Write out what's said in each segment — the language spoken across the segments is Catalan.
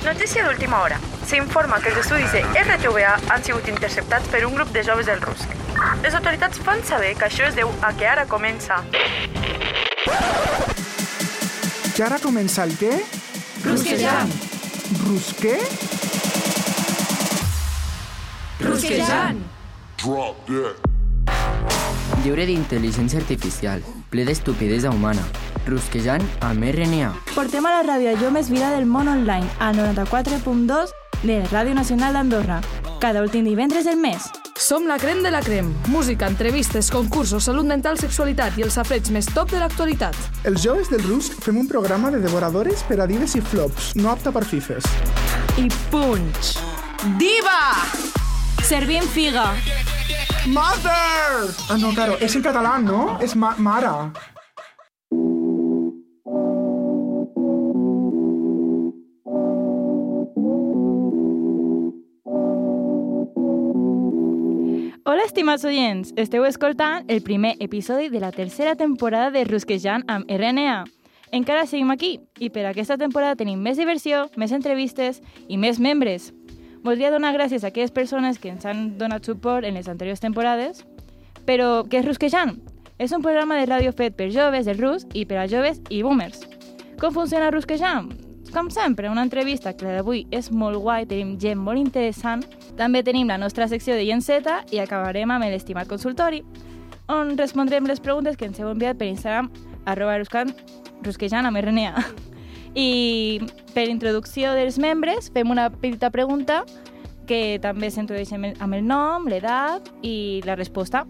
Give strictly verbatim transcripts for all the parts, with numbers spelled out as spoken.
Notícia d'última hora. S'informa que els estudis de R T V A han sigut interceptats per un grup de joves del Rusc. Les autoritats fan saber que això es deu a que ara comença... Que ara comença el què? Rusquejant. Rusqué? Rusquejant. Drop that. Lliure d'intel·ligència artificial, ple d'estupidesa humana. Rusquejant amb R N A. Portem a la ràdio allò més vira del món online, al noranta-quatre punt dos de Ràdio Nacional d'Andorra, cada últim divendres del mes. Som la crem de la crem. Música, entrevistes, concursos, salut mental, sexualitat i els safreig més top de l'actualitat. Els joves del Rusc fem un programa de devoradores per a dives i flops, no apta per fifes. I punch! Diva! Servim figa. Mother! Ah, no, claro, és en català, no? És ma mare. Hola, estimats oients! Esteu escoltant el primer episodi de la tercera temporada de Rusquejant amb R N A. Encara seguim aquí, i per aquesta temporada tenim més diversió, més entrevistes i més membres. Voldria donar gràcies a aquelles persones que ens han donat suport en les anteriors temporades. Però, què és Rusquejant? És un programa de ràdio fet per joves del Rus i per a joves i boomers. Com funciona Rusquejant? Com sempre, una entrevista que la d'avui és molt guai, tenim gent molt interessant. També tenim la nostra secció de Gent Z i acabarem amb l'estimat consultori, on respondrem les preguntes que ens heu enviat per Instagram, arroba rusquejant amb R N A. I per introducció dels membres fem una petita pregunta que també s'introdueix amb el nom, l'edat i la resposta.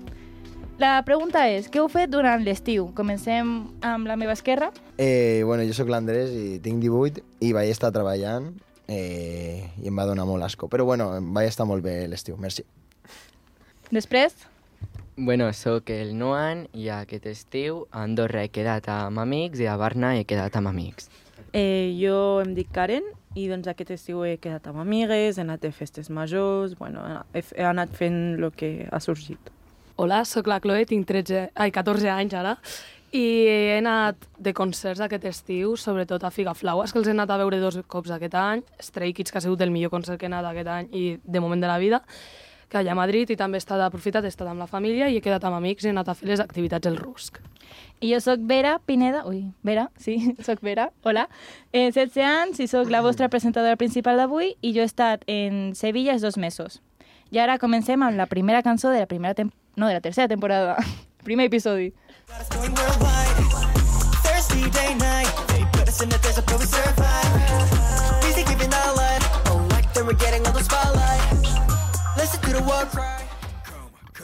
La pregunta és, què heu fet durant l'estiu? Comencem amb la meva esquerra. Eh, bueno, jo sóc l'Andrés i tinc divuit i vaig estar treballant eh, i em va donar molt asco. Però bueno, vaig estar molt bé l'estiu, merci. Després? Bueno, sóc el Noan i aquest estiu a Andorra he quedat amb amics i a Barna he quedat amb amics. Eh, jo em dic Karen i doncs aquest estiu he quedat amb amigues, he anat a festes majors, bueno, he, he anat fent el que ha sorgit. Hola, sóc la Chloe, tinc tretze, ai, catorze anys ara, i he anat de concerts aquest estiu, sobretot a Figaflaues, que els he anat a veure dos cops aquest any, Stray Kids, que ha sigut el millor concert que he anat aquest any i de moment de la vida, que allà a Madrid, i també he estat aprofitat, he estat amb la família i he quedat amb amics i he anat a fer les activitats del Rusc. I jo sóc Vera Pineda, ui, Vera, sí, sóc Vera, hola. Eh, setze anys i sóc la vostra presentadora principal d'avui i jo he estat en Sevilla els dos mesos. I ara comencem amb la primera cançó de la primera temporada, no, de la tercera temporada, primer episodi.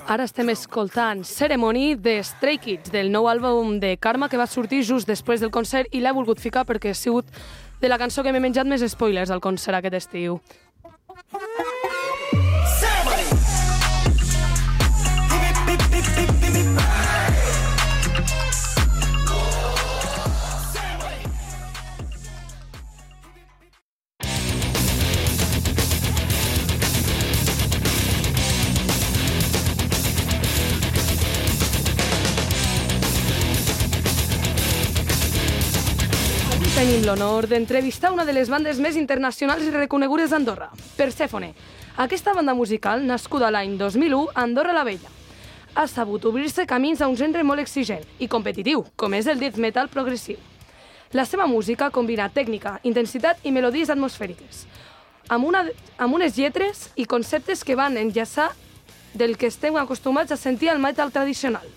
Ara estem escoltant Ceremony de Stray Kids, del nou àlbum de Karma que va sortir just després del concert i l'he volgut ficar perquè ha sigut de la cançó que m'he menjat més spoilers al concert aquest estiu. Tenim l'honor d'entrevistar una de les bandes més internacionals i reconegudes d'Andorra, Persephone. Aquesta banda musical, nascuda l'any dos mil u a Andorra la Vella, ha sabut obrir-se camins a un gènere molt exigent i competitiu, com és el death metal progressiu. La seva música combina tècnica, intensitat i melodies atmosfèriques, amb, una, amb unes lletres i conceptes que van enllaçar del que estem acostumats a sentir al metal tradicional.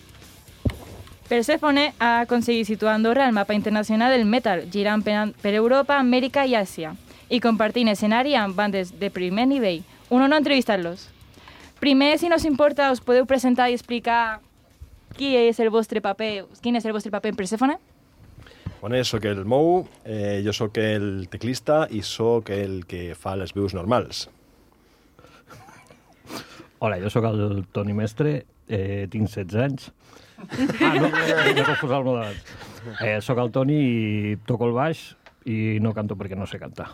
Persephone ha aconseguit situar Andorra al mapa internacional del metal, girant per Europa, Amèrica i Àsia, i compartint escenari amb bandes de primer nivell. Un honor entrevistar-los. Primer, si no us importa, us podeu presentar i explicar qui és el vostre paper, quin és el vostre paper en Persephone? Bueno, jo sóc el Mou, eh, jo sóc el teclista i sóc el que fa les veus normals. Hola, jo sóc el Toni Mestre, eh, tinc setze anys. Ah, no, no puc posar el model. Eh, soc el Toni i toco el baix i no canto perquè no sé cantar.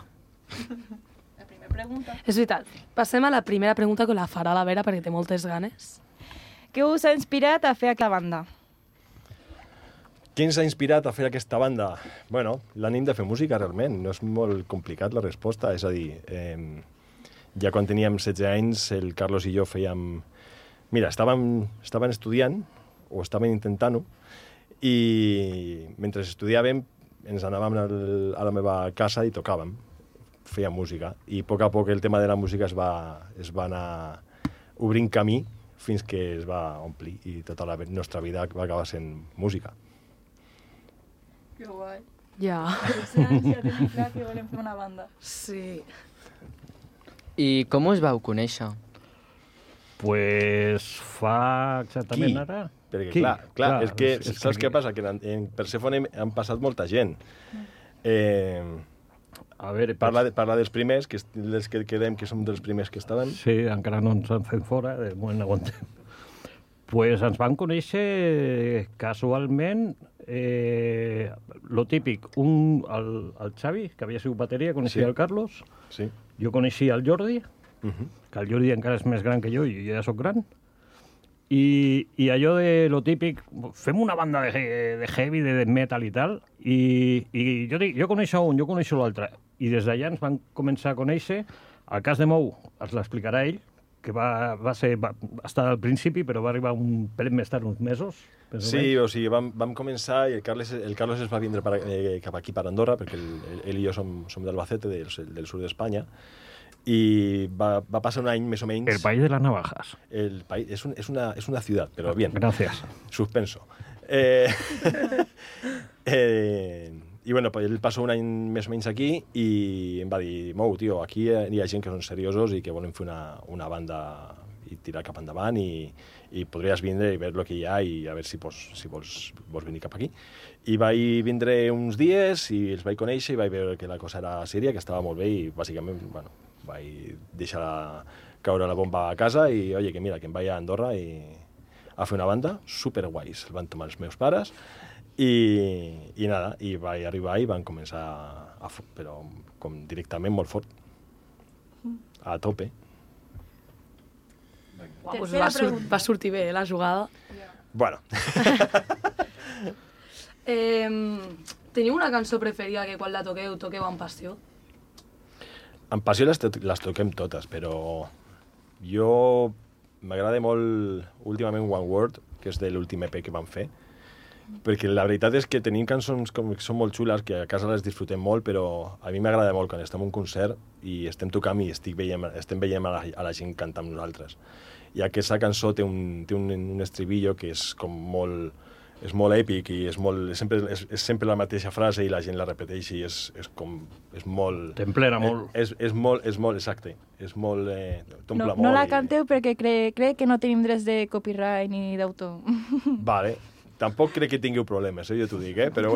La primera pregunta. És veritat. Passem a la primera pregunta que la farà la Vera perquè té moltes ganes. Què us ha inspirat a fer aquesta banda? Què ens ha inspirat a fer aquesta banda? Bueno, l'ànim de fer música, realment. No és molt complicat la resposta. És a dir, eh, ja quan teníem setze anys, el Carlos i jo fèiem... Mira, estàvem, estàvem estudiant, o estàvem intentant-ho, i mentre estudiàvem ens anàvem al, a la meva casa i tocàvem, fèiem música. I a poc a poc el tema de la música es va, es va anar obrint camí fins que es va omplir i tota la nostra vida va acabar sent música. Que guai. Ja. Ja tenim clar que volem fer una banda. Sí. I com us vau conèixer? Pues fa exactament Qui? ara... Perquè, Qui? clar, clar, Clar, és que, és- és saps que- què passa? Que en, en Persèfone han passat molta gent. Eh, A veure, parla, de, parla dels primers, que, és- dels que quedem, que som dels primers que estaven. Sí, encara no ens han fet fora, de moment aguantem. Pues ens van conèixer casualment, eh, lo típic, un, el, el Xavi, que havia sigut bateria, coneixia Sí. el Carlos, Sí. jo coneixia el Jordi, Uh -huh. que el Jordi encara és més gran que jo i jo ja sóc gran, i, i allò de lo típic, fem una banda de, he- de heavy, de death metal i tal, i, i jo dic, jo coneixo un, jo coneixo l'altre, i des d'allà ens van començar a conèixer. El cas de Mou ens l'explicarà ell, que va, va, ser, va estar al principi, però va arribar un pel més tard, uns mesos. més o Sí, menys. o sigui, vam, vam començar i el Carles, el Carlos es va vindre per, eh, cap aquí, per Andorra, perquè el, ell i jo som, som d'Albacete, del, del sud d'Espanya, i va, va passar un any més o menys... El país de las navajas. El país, és, un, és, una, és una ciutat, però bien. Gracias. Suspenso. Eh, eh, I bueno, pues, ell passó un any més o menys aquí i em va dir, Mou, tio, aquí hi ha gent que són seriosos i que volen fer una, una banda i tirar cap endavant i, i podries vindre i veure el que hi ha i a veure si, pots, si vols, vols venir cap aquí. I vaig vindre uns dies i els vaig conèixer i vaig veure que la cosa era sèria, que estava molt bé i bàsicament, bueno, vaig deixar caure la bomba a casa i, oye, que mira, que em vaig a Andorra i a fer una banda superguais. El van tomar els meus pares i, i nada, i vaig arribar i van començar a, a però com directament molt fort, a tope. Uau, pues Tercera va, sur pregunta. va sortir bé, eh, la jugada. Bueno, Eh, teniu una cançó preferida que quan la toqueu, toqueu amb passió? en passió les, to les toquem totes, però jo m'agrada molt últimament One Word, que és de l'últim E P que vam fer, perquè la veritat és que tenim cançons com, que són molt xules, que a casa les disfrutem molt, però a mi m'agrada molt quan estem en un concert i estem tocant i estic veient, estem veient a la, a la gent cantar amb nosaltres. I aquesta cançó té un, té un, un estribillo que és com molt, és molt èpic i és, molt, sempre, és, és sempre la mateixa frase i la gent la repeteix i és, és com... És molt... T'emplena molt. És, és molt, és molt, exacte. És molt... Eh, No, no la canteu perquè crec cre que no tenim drets de copyright ni d'autor. Vale. Tampoc crec que tingueu problemes, eh? Jo t'ho dic, eh? Però...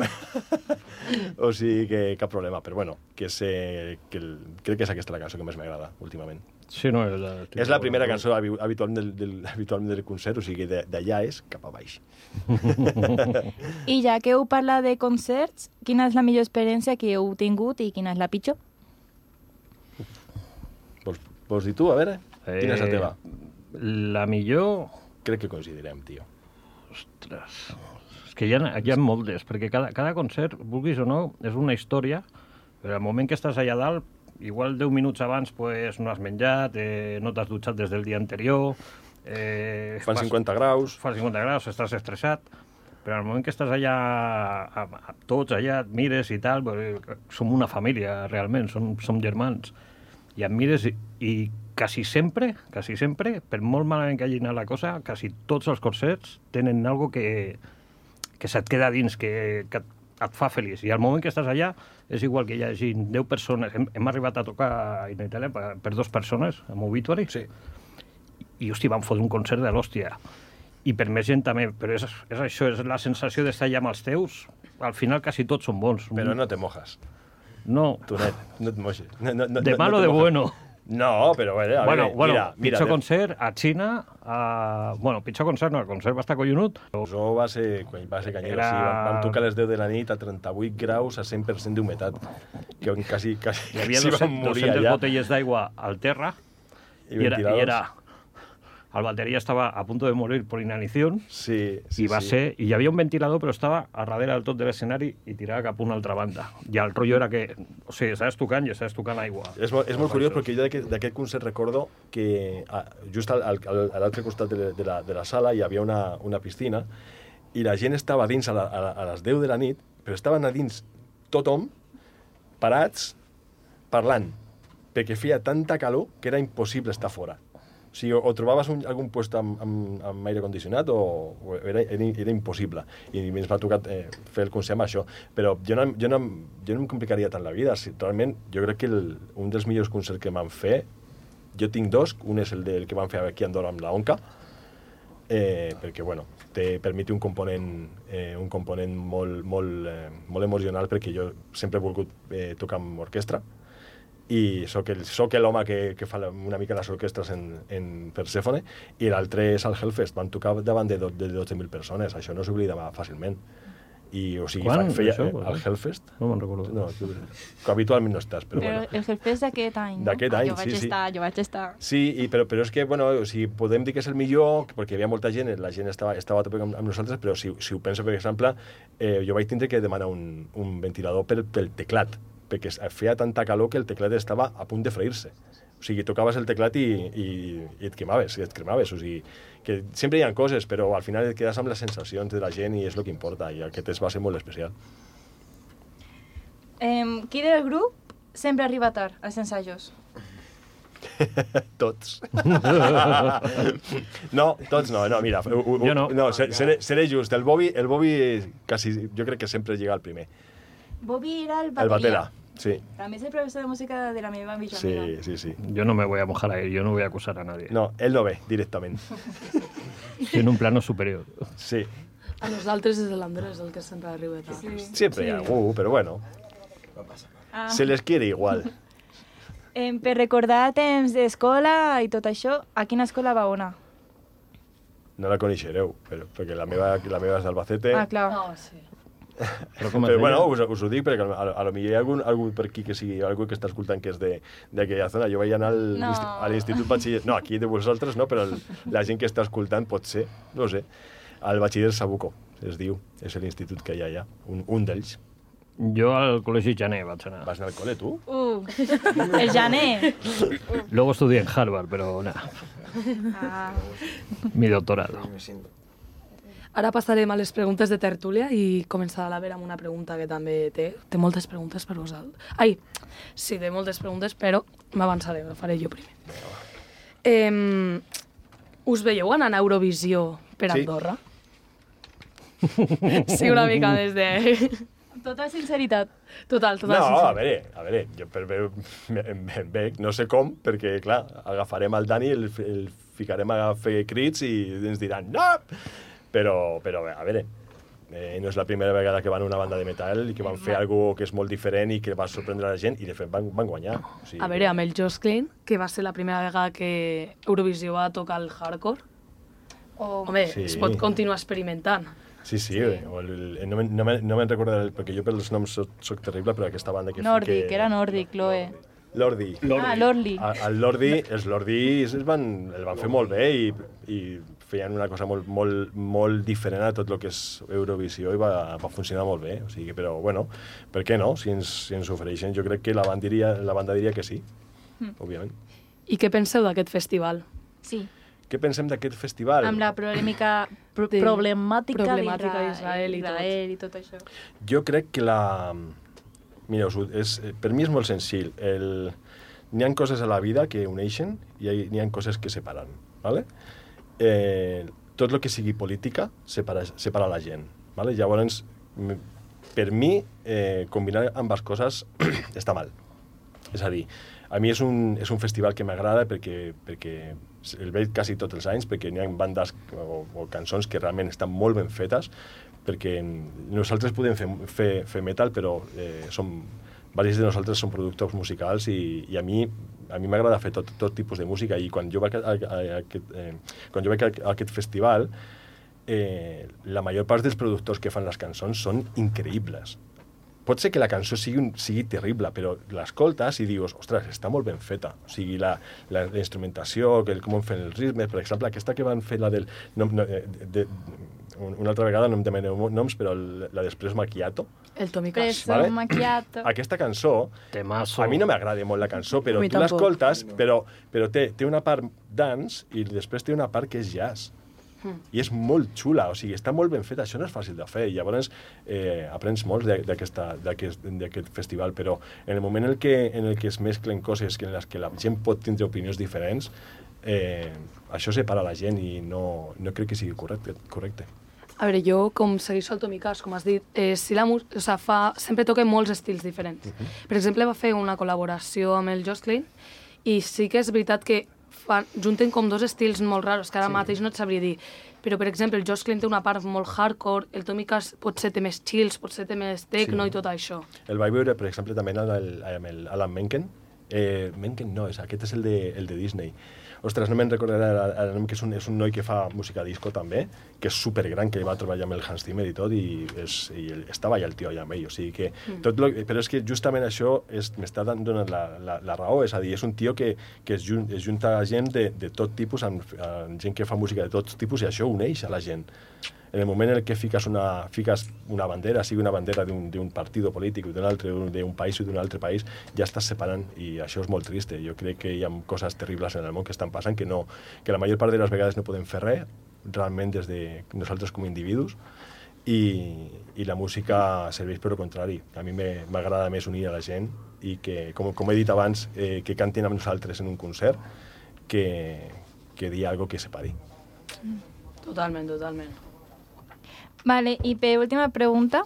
o sigui que cap problema. Però bueno, que és, eh, que el... crec que és aquesta la cançó que més m'agrada últimament. Sí, no, és, la, És la primera cançó habi- habitualment del, del, habitualment del concert, o sigui, de- d'allà és cap a baix. I ja que heu parlat de concerts, quina és la millor experiència que heu tingut i quina és la pitjor? Vols, vols dir tu, a veure? Eh, Quina és la teva? La millor... Crec que coincidirem, tio. Ostres, és que hi ha, hi ha moltes, perquè cada, cada concert, vulguis o no, és una història, però al moment que estàs allà dalt, igual deu minuts abans pues, no has menjat, eh, no t'has dutxat des del dia anterior... Eh, Fan cinquanta graus. Fan cinquanta graus, estàs estressat, però al moment que estàs allà, a, a, tots allà, et mires i tal, pues, som una família, realment, som, som germans, i et mires i, i quasi sempre, quasi sempre, per molt malament que hagi anat la cosa, quasi tots els concerts tenen algo que, que se't queda dins, que, que et, et fa feliç. I al moment que estàs allà, és igual que hi hagi deu persones. Hem, hem arribat a tocar en Itàlia per, per dues persones, amb Obituary, Sí. i, hosti, van fotre un concert de l'hòstia. I per més gent també, però és, és això, és la sensació d'estar allà amb els teus. Al final quasi tots són bons. Però no te mojas. No, Tu, net, no et mojes. No, no, no, de no, malo no te de mojes. bueno. No, però bueno, a Bueno, veure, bueno, mira, mira, pitjor de- concert a Xina, a... bueno, pitjor concert no, el concert va estar collonut. Això va ser, quan va ser canyero, Era- sí, vam, vam tocar a les deu de la nit a trenta-vuit graus a cent per cent d'humetat, que quasi, quasi, Hi havia quasi vam dues-centes morir allà. botelles d'aigua al terra I i era, i ventiladors. era el bateria estava a punt de morir per inanició, Sí, sí, i va sí. ser... I hi havia un ventilador, però estava a darrere del tot de l'escenari i tirava cap a una altra banda. I el rotllo era que... O sigui, estaves tocant i estaves tocant aigua. És, molt, és molt curiós perquè jo d'aquest d'aquest concert recordo que a, just al, al, a l'altre costat de, de, la, de la sala hi havia una, una piscina i la gent estava dins a, la, a, a les deu de la nit, però estaven a dins tothom, parats, parlant, perquè feia tanta calor que era impossible estar fora. O sigui, o trobaves un, algun lloc amb, amb, amb aire condicionat o, o era, era, era impossible. I ens va tocar eh, fer el concert amb això. Però jo no, jo, no, jo no em complicaria tant la vida. Si, realment, jo crec que el, un dels millors concerts que m'han fet, jo tinc dos, un és el del que vam fer aquí a Andorra amb la Onca, eh, perquè, bueno, te permet un component, eh, un component molt, molt, eh, molt emocional, perquè jo sempre he volgut eh, tocar amb orquestra, i soc el, soc l'home que, que fa una mica les orquestres en, en Persèfone, i l'altre és al Hellfest. Van tocar davant de, do, de dotze mil persones, això no s'oblida fàcilment. I, o sigui, Quan? feia, Això, eh, al Hellfest? No me'n recordo. No, tu, que habitualment no estàs, però, Però bueno. el Hellfest d'aquest any, no? D'aquest any, jo vaig sí, sí. estar, Jo vaig estar. Sí, i, però, però és que, bueno, o sigui, podem dir que és el millor, perquè hi havia molta gent, la gent estava, estava a tope amb, amb nosaltres, però si, si ho penso, per exemple, eh, jo vaig tindre que demanar un, un ventilador pel, pel teclat, perquè feia tanta calor que el teclat estava a punt de freir-se. O sigui, tocaves el teclat i, i, i et cremaves, i et cremaves. O sigui, que sempre hi ha coses, però al final et quedes amb les sensacions de la gent i és el que importa, i aquest va ser molt especial. Eh, qui del grup sempre arriba tard als ensajos? Tots. No, tots no, no, mira, u, u, Jo no. no seré, seré just, el Bobby, el Bobby quasi, jo crec que sempre llega al primer. Bobby era el El bateria. batera, sí. També és el professor de música de la meva millor Sí, amiga. sí, sí. Yo no me voy a mojar ahí, yo no voy a acusar a nadie. No, él no ve directament. Estoy en un plano superior. Sí. A nosaltres és l'Andrés el que sempre arriba tard. Sí. Siempre hay algú, pero bueno, Ah. se les quiere igual. Eh, per recordar temps d'escola i tot això, a quina escola va anar? No la coneixereu, però, perquè la meva, la meva és d'Albacete. Ah, clar. No, sí. Però com es Però deia? bueno, us, us ho dic perquè a, a lo millor hi ha algun, algú per aquí que sigui, algú que està escoltant que és de- d'aquella zona. Jo vaig anar al, No. a l'Institut Batxiller... No, aquí de vosaltres no, però el, la gent que està escoltant pot ser, no ho sé, al Batxiller Sabuco, es diu, és l'institut que hi ha allà, un, un d'ells. Jo al col·legi Jané vaig anar. Vas anar al col·le, tu? Uh, el gener. Luego estudié en Harvard, pero nada, Ah. mi doctorado. Ara passarem a les preguntes de tertúlia i començarà la Vera amb una pregunta que també té. Té moltes preguntes per vosaltres. Ai, sí, té moltes preguntes, però m'avançaré, ho faré jo primer. Eh, us veieu anant a Eurovisió per Sí. Andorra? Sí, una mica des de... Tota sinceritat. Total, total. No, sincera. a veure, a veure, jo per veure em, em veig, no sé com, perquè, clar, agafarem el Dani, el, el ficarem a fer crits i ens diran no! Però, però a veure, eh, no és la primera vegada que van a una banda de metal i que van fer alguna que és molt diferent i que va sorprendre la gent i, de fet, van, van guanyar. O sigui, A veure, amb el Josh Klein, que va ser la primera vegada que Eurovisió va tocar el hardcore, O... home, Sí. es pot continuar experimentant. Sí, sí, sí. O el, el, no me'n no me, no me recordo, el, perquè jo per els noms soc, soc terrible, però aquesta banda que... Nòrdic, que... era nòrdic, Loe. Lordi. Ah, l'Orli. A- El Lordi, els Lordi es van, el van fer molt bé i, i feien una cosa molt, molt, molt diferent a tot el que és Eurovisió i va, va funcionar molt bé. O sigui, però, bueno, per què no? Si ens, si ens ofereixen, jo crec que la banda diria, la banda diria que sí, mm. òbviament. I què penseu d'aquest festival? Sí, Què pensem d'aquest festival? amb la polèmica, pro De- problemàtica, problemàtica d'Israel d'Israel i tot. Israel i tot això. Jo crec que la... Mira, us ho- és, per mi és molt senzill. El... N'hi ha coses a la vida que uneixen i hi- n'hi ha coses que separen. ¿Vale? Eh, tot el que sigui política separa, separa la gent. ¿Vale? Llavors, m- per mi, eh, combinar ambas coses està mal. És a dir, a mi és un, és un festival que m'agrada perquè, perquè el veig quasi tots els anys, perquè n'hi ha bandes o, o cançons que realment estan molt ben fetes, perquè nosaltres podem fer, fer, fer metal, però eh, som, diversos de nosaltres som productors musicals i, i a mi a mi m'agrada fer tot, tot tipus de música i quan jo vaig a, a, a, a, aquest, eh, quan jo vaig a, a aquest festival eh, la major part dels productors que fan les cançons són increïbles. pot ser que la cançó sigui, un, sigui terrible, però l'escoltes i dius, ostres, està molt ben feta. O sigui, la, la, la instrumentació, que, com fan els ritmes, per exemple, aquesta que van fer la del... No, no, de, de, una altra vegada no em demaneu noms, però la d'Espresso Macchiato. El Tommy Cash. Preso, macchiato. Aquesta cançó, Temazo. a mi no m'agrada molt la cançó, però mi tu tampoc. l'escoltes, però, però té, té una part dance i després té una part que és jazz. I és molt xula, o sigui, està molt ben feta, això no és fàcil de fer, i llavors eh, aprens molt d'aquest festival, però en el moment en el que, en el que es mesclen coses en les que la gent pot tindre opinions diferents, eh, això separa la gent i no, no crec que sigui correcte. correcte. A veure, jo, com segueixo el Tommy Cash, com has dit, eh, si la música, o sea, fa, sempre toca molts estils diferents. Uh -huh. Per exemple, va fer una col·laboració amb el Josh Klein, i sí que és veritat que fan, junten com dos estils molt raros, que ara sí. mateix no et sabria dir. Però, per exemple, el Josh Klein té una part molt hardcore, el Tommy Cash potser té més chills, potser té més techno sí. i tot això. El vaig veure, per exemple, també amb el, amb el Alan Menken. Eh, Menken no, és, aquest és el de, el de Disney. Ostres, no me'n recordaré el nom, que és un, és un noi que fa música disco també, que és supergran, que va treballar amb el Hans Zimmer i tot, i, és, i el, estava allà el tio allà amb ell, o sigui que... Mm. Tot lo, però és que justament això m'està donant la, la, la raó, és a dir, és un tio que, que es, jun, es junta a gent de, de tot tipus, amb, amb gent que fa música de tot tipus, i això uneix a la gent. En el moment en què fiques una, fiques una bandera, sigui una bandera d'un partit polític, d'un altre, d'un país o d'un altre país, ja estàs separant, i això és molt trist. Jo crec que hi ha coses terribles en el món que estan passant, que, no, que la major part de les vegades no podem fer res, realment des de nosaltres com a individus, i, i la música serveix per al contrari. A mi m'agrada més unir a la gent i que, com, com he dit abans, eh, que cantin amb nosaltres en un concert, que, que dir alguna cosa que separi. Totalment, totalment. Vale, i per última pregunta,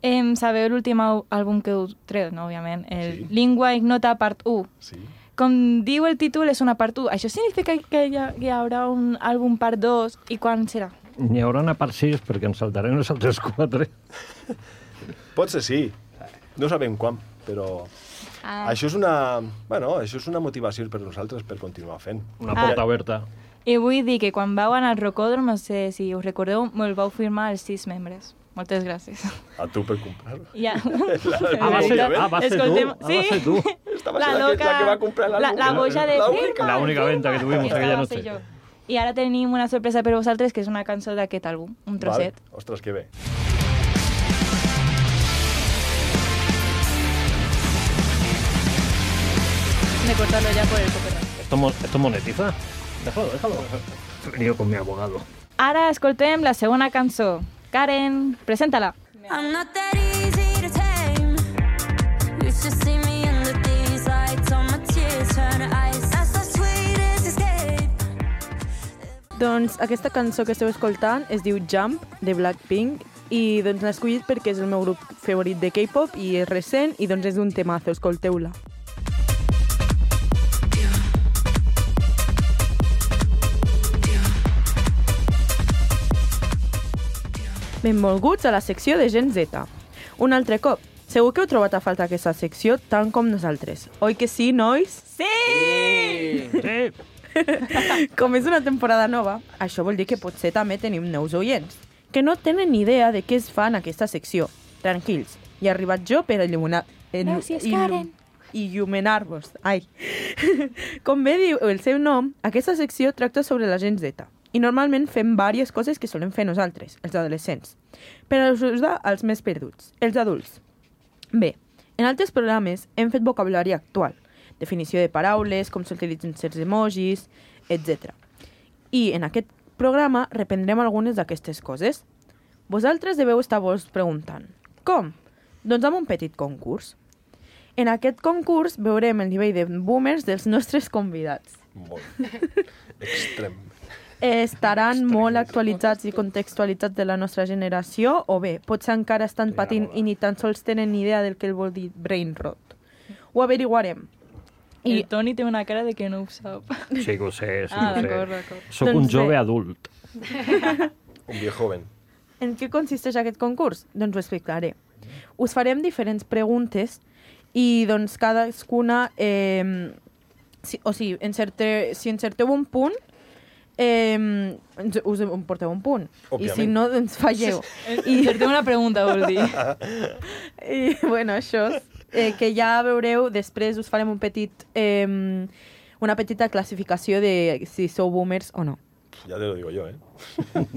eh, sabeu l'últim àlbum que heu tret, no, òbviament, el sí. Lingua Ignota part u. Sí. Com diu el títol, és una part u. Això significa que hi, ha, que hi haurà un àlbum part dos, i quan serà? N'hi haurà una part sis, perquè ens saltarem les altres quatre. Pot ser sí, no sabem quan, però... Ah. Això és una, bueno, això és una motivació per nosaltres per continuar fent. Una porta ah. oberta. I vull dir que quan vau anar al Rocòdrom, no sé si us recordeu, me'l vau firmar els sis membres. Moltes gràcies. A tu per comprar-ho? Ja. Ah, va ser, ah, va ser Escoltem, tu. Sí. Ah, va ser tu. Estava la, la, que, la que va comprar la, la boja de firma. La única venta que tuvimos aquella noche. I ara tenim una sorpresa per vosaltres, que és una cançó d'aquest àlbum, un trosset. Vale. Ostres, que bé. De cortarlo ya por el copyright. ¿Esto, esto monetiza? Déjalo, déjalo. He venido con mi abogado. Ara escoltem la segona cançó. Karen, presenta-la. I'm not that easy to tame. You should see me under these lights. All my tears turn to ice. That's the sweetest escape. Doncs aquesta cançó que esteu escoltant es diu Jump, de Blackpink, i doncs l'he escollit perquè és el meu grup favorit de K-pop i és recent i doncs és un temazo, escolteu-la. Benvolguts a la secció de Gen Z. Un altre cop, segur que heu trobat a falta aquesta secció tant com nosaltres. Oi que sí, nois? Sí! Sí! Com és una temporada nova, això vol dir que potser també tenim nous oients, que no tenen ni idea de què es fa en aquesta secció. Tranquils, hi he arribat jo per il·luminar... Gràcies, Karen. Il·luminar-vos. Ai. Com bé diu el seu nom, aquesta secció tracta sobre la Gen Z. I normalment fem diverses coses que solem fer nosaltres, els adolescents, per ajudar als més perduts, els adults. Bé, en altres programes hem fet vocabulari actual, definició de paraules, com s'utilitzen certs emojis, etcètera. I en aquest programa reprendrem algunes d'aquestes coses. Vosaltres deveu estar-vos preguntant, com? Doncs amb un petit concurs. En aquest concurs veurem el nivell de boomers dels nostres convidats. Molt. Extrem. Estaran molt actualitzats i contextualitzats de la nostra generació o bé, potser encara estan patint i ni tan sols tenen ni idea del que vol dir brain rot. Ho averiguarem. I el Toni té una cara de que no ho sap. Sí que ho sé, sí ah, que ho sé. d'acord, d'acord. Soc doncs un jove bé. Adult. Un viejo joven. En què consisteix aquest concurs? Doncs ho explicaré. Us farem diferents preguntes i doncs cadascuna, eh, si, o sigui, encerte, si encerteu un punt, eh, ens- us em porteu un punt. I si Òbviament. no, doncs falleu. I... Fer-te una pregunta, vol dir. I, bueno, això, eh, que ja veureu, després us farem un petit, eh, una petita classificació de si sou boomers o no. Ja te lo digo jo, eh?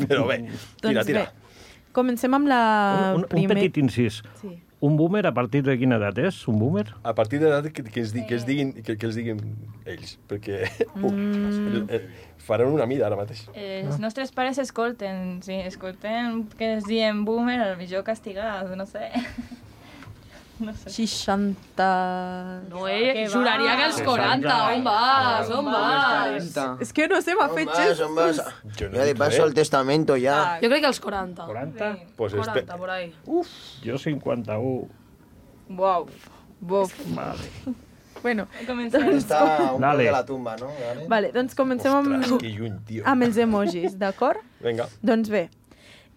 Però bé, tira, Doncs tira. bé, comencem amb la Un, un, un primer... petit incís. Sí. Un boomer a partir de quina edat és? Un boomer? A partir de l'edat que, que, es di, que, es diguin, que, que els diguin ells, perquè uh, el, el, faran una mida ara mateix. Eh, els nostres pares escolten, sí, escolten que es diem boomer, al millor castigat, no sé. No sé. seixanta... No, eh? Que va. Juraria que els quaranta. On vas? On vas? És que no sé, m'ha fet Vas, gest. on vas? Jo no Ya de dic paso res. el testamento ya. Jo crec que els quaranta. quaranta? Pues espe... quaranta, por ahí. Jo cinquanta-u. Uau. Bof. Vale. Bueno, Comencem. Está un poco Dale. de la tumba, ¿no? Dale. vale, doncs comencem Ostres, amb, que lluny, tio. amb els emojis, d'acord? Vinga. Doncs bé,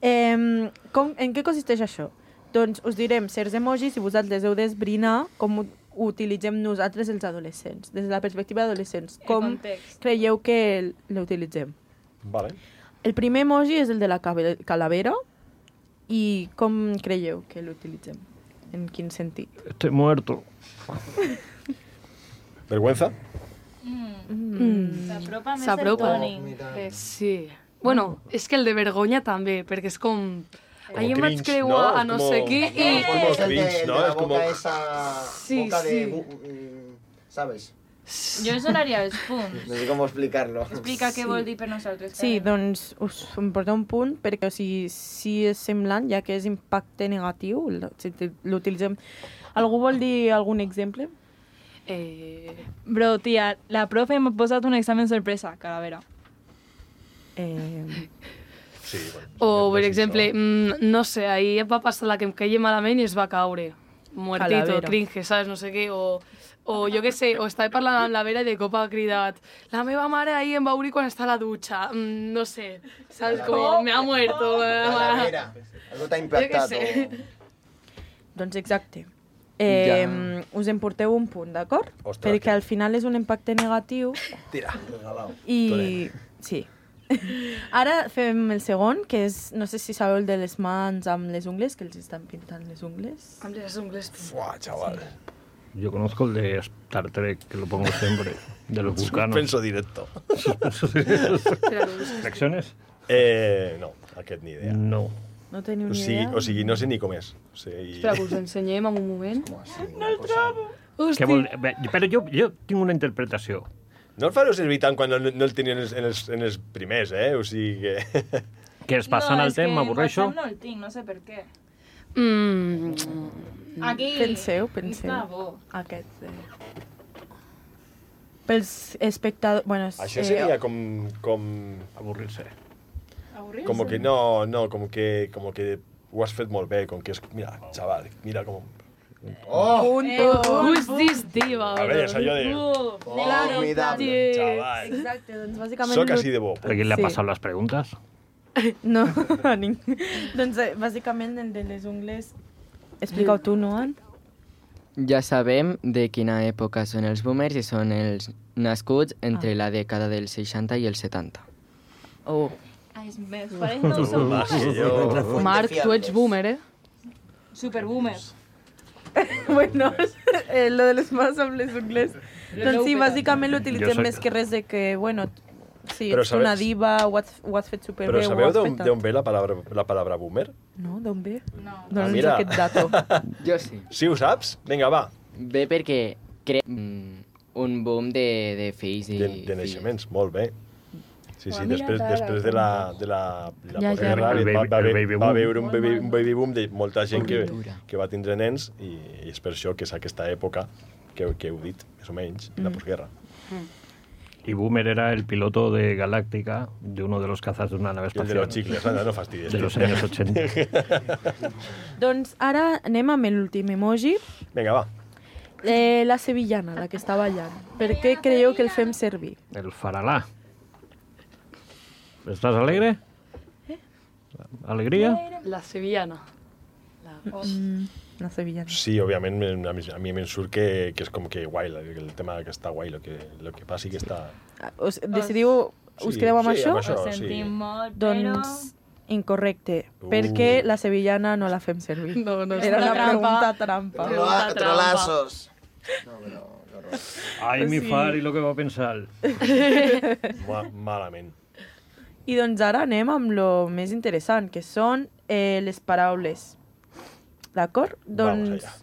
eh, com, en què consisteix això? Doncs us direm certs emojis i vosaltres heu d'esbrinar com ho utilitzem nosaltres els adolescents, des de la perspectiva d'adolescents. El Com context. creieu que l'utilitzem? Vale. El primer emoji és el de la cabe- calavera i com creieu que l'utilitzem? En quin sentit? Estoy muerto. Vergüenza? Mm. S'apropa més el S'apropa. Toni. Eh, sí. Bueno, és que el de vergonya també, perquè és com... Como Ahir em vaig cringe, creuar ¿no? a Es no como- sé què i... Es como Es el de, cringe, el de ¿no? la Es como- boca esa... Sí, boca de... sí. bu- mm, ¿Sabes? Jo us donaria els punts. No sé cómo explicarlo. Explica què Sí. vol dir per nosaltres. Sí, Karen. doncs us em porteu un punt perquè o sigui, si és semblant, ja que és impacte negatiu, l- si te- l'utilitzem... Algú vol dir algun exemple? Eh, Bro, tia, la profe m'ha posat un examen sorpresa, calavera. Eh, Sí, bueno. o, per sí, exemple, això. mm, no sé, ahir va passar la que em caia malament i es va caure. Muertito, Calavera. cringe, saps? No sé què, o... O jo què sé, o estava parlant amb la Vera i de cop ha cridat la meva mare ahir em va obrir quan està a la dutxa. Mm, no sé, saps? Com, me ha muerto. Calavera. Algo t'ha impactat. Jo què sé. o- doncs exacte. Eh, Ja. Us en porteu un punt, d'acord? Ostres, Perquè que- al final és un impacte negatiu Tira. i... Sí. Ara fem el segon, que és, no sé si sabeu el de les mans amb les ungles, que els estan pintant les ungles. Amb les ungles. Fuà, chaval. Yo conozco el de Star Trek, que lo pongo siempre, de los vulcanos. Suspenso directo. ¿Lecciones? Eh, no, aquest ni idea. No. No teniu O ni sigui, idea? o sigui, no sé ni com és. O sigui... Espera, que us ensenyem en un moment. No el trobo. Què vol... Bé, Però jo, jo tinc una interpretació. No el fareu servir tant quan no, no el tenien en els, en els, en els primers, eh? O sigui que... Que es passant no, el temps, m'avorreixo. No, el tinc, no sé per què. Mm, Aquí. Penseu, penseu. Està bo. Aquest. Eh. Pels espectadors... Bueno, és, Això seria com... com... Avorrir-se. Avorrir-se. Com que no, no, com que, com que ho has fet molt bé, com que és... Mira, xaval, mira com... ¡Oh! Punto. who's this diva? A veure, és allò de... Uh, Formidable. Xaval, Exacte, doncs bàsicament... soc així de bo. ¿A quién le ha Sí. pasado las preguntas? No, a ningú. Doncs eh, bàsicament el de les ungles... Explica-ho tu, no, Ann? Ja sabem de quina època són els boomers i són els nascuts entre la dècada dels seixanta i els setanta. Oh. Ai, és més, pareix no ho som. Va, sí, jo... Marc, tu ets boomer, eh? Superboomers. Bueno, eh, lo de les mans amb les ungles. Doncs sí, bàsicament Jo l'utilitzem soc- més que res de que, bueno, sí, Però ets sabeu- una diva, ho has, ho has fet superbé, Però ho sabeu has d'on fet d'on ve la paraula, la paraula boomer? No, d'on ve? No. Dona'ns mira. aquest dato. Jo sí. Sí, ho saps? Vinga, va. Ve perquè crea mm, un boom de, de fills i... De, de naixements, molt bé. Sí, sí, Ho ha mirat després, ara, després de la, de la, la Ja, ja. postguerra El va, baby- va, el haver- baby va boom. haver un baby, un baby boom de molta gent que, Cultura. que va tindre nens i, i és per això que és aquesta època que, que heu dit, més o menys, la postguerra. Y Boomer era el piloto de Galáctica, de uno de los cazas de una nave I el de espacial. los xicles, anda, no fastidies. De los años ochenta. Doncs ara anem amb l'últim emoji. Vinga, va. Eh, la sevillana, la que està ballant. Per què creieu que el fem servir? El faralá. ¿Estás alegre? ¿Alegría? La sevillana. Mm, la sevillana. Sí, òbviament, a mi, a mi em surt que, que és com que guai, el tema que està guai, el que, el que passi que està... Us decidiu us quedeu amb sí, això? amb això, Ho sí. sentim molt, Doncs incorrecte, Uh. perquè la sevillana no la fem servir. No, no, Era una trampa. pregunta trampa. Trola- Trolazos. No, però... Ai, mi far, i lo que va pensar. Ma malament. I doncs ara anem amb lo més interessant, que són eh, les paraules. D'acord? Doncs allá.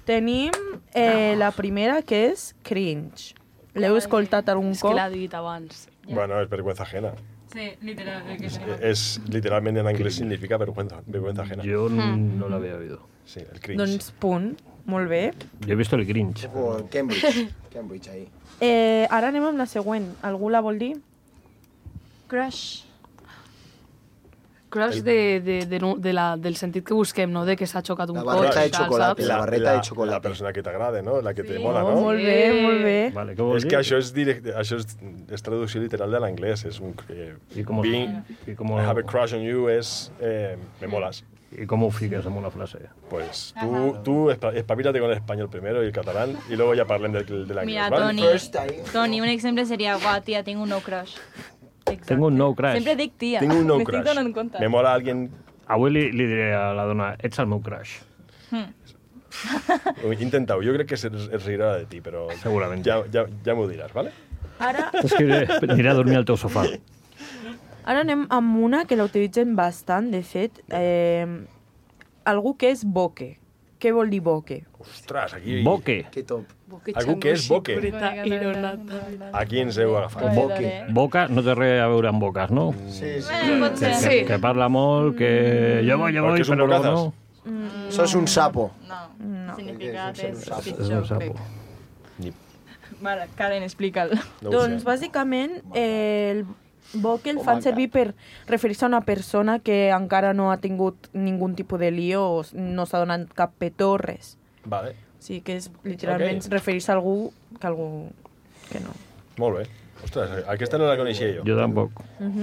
tenim eh, la primera, que és cringe. L'heu escoltat algun És que cop? l'ha dit abans. Bueno, es vergüenza ajena. Sí, literal. Es, es literalmente en inglés significa vergüenza, vergüenza ajena. Yo no lo había oído. Sí, el cringe. Doncs punt. Molt bé. Yo he visto el Grinch. O Cambridge. Cambridge, ahí. Eh, ara anem amb la següent. Algú la vol dir? Crush. Crush de, de, de, no- de la, del sentit que busquem, no? De que s'ha xocat un La cotxe barreta de i tal, chocolate. saps? La barreta de la, chocolate. la persona que t'agrada, no? La que te Sí. mola, Oh, no? molt bé, molt bé. Vale, què vol És dir? que això és, directe, això és, és traducció literal de l'anglès. És un... Eh, I com, being, i com, I have a crush on you és... Eh, me molas. I com ho fiques en una frase? Pues tú, tú espa- espabilate con el español primero y el catalán y luego ya parlen del, del inglés, Mira, ¿vale? Toni, First time. Toni, un exemple seria, guau, tia, tinc un no crush. Exacte. Tengo un no crush. Sempre dic tia. Tengo un no M'estic crush. donant compte. Me mola alguien... Avui li, li diré a la dona, ets el meu crush. Intentau, jo crec que es, es riurà de ti, però... Segurament. Ja, ja, ja m'ho diràs, ¿vale? Ara, És que aniré a dormir al teu sofà. ara anem amb una que la utilitzen bastant, de fet. Eh, algú que és boque. Què vol dir boque? Ostres, aquí... Boque. Que top. Algú que és boque. Xicoreta i no nata. Aquí ens heu agafat. Boque. Boca no té res a veure amb boques, no? Sí, sí. Bueno, pot ser. Sí. Que, que parla molt, que jo voy, jo Perquè voy, és un però luego bocazas. no. Sos un sapo. No, No. significat És un és sapo. És pitjor, un sapo. crec. Vale, Karen, explica'l. No ho Doncs, sé. bàsicament, eh, el boque el fan servir per referir-se a una persona que encara no ha tingut ningun tipus de lío o no s'ha donat cap petó, res. Vale, O sigui que és literalment Ok. referir-se a algú que algú que no. molt bé. Ostres, aquesta no la coneixia jo. Jo tampoc.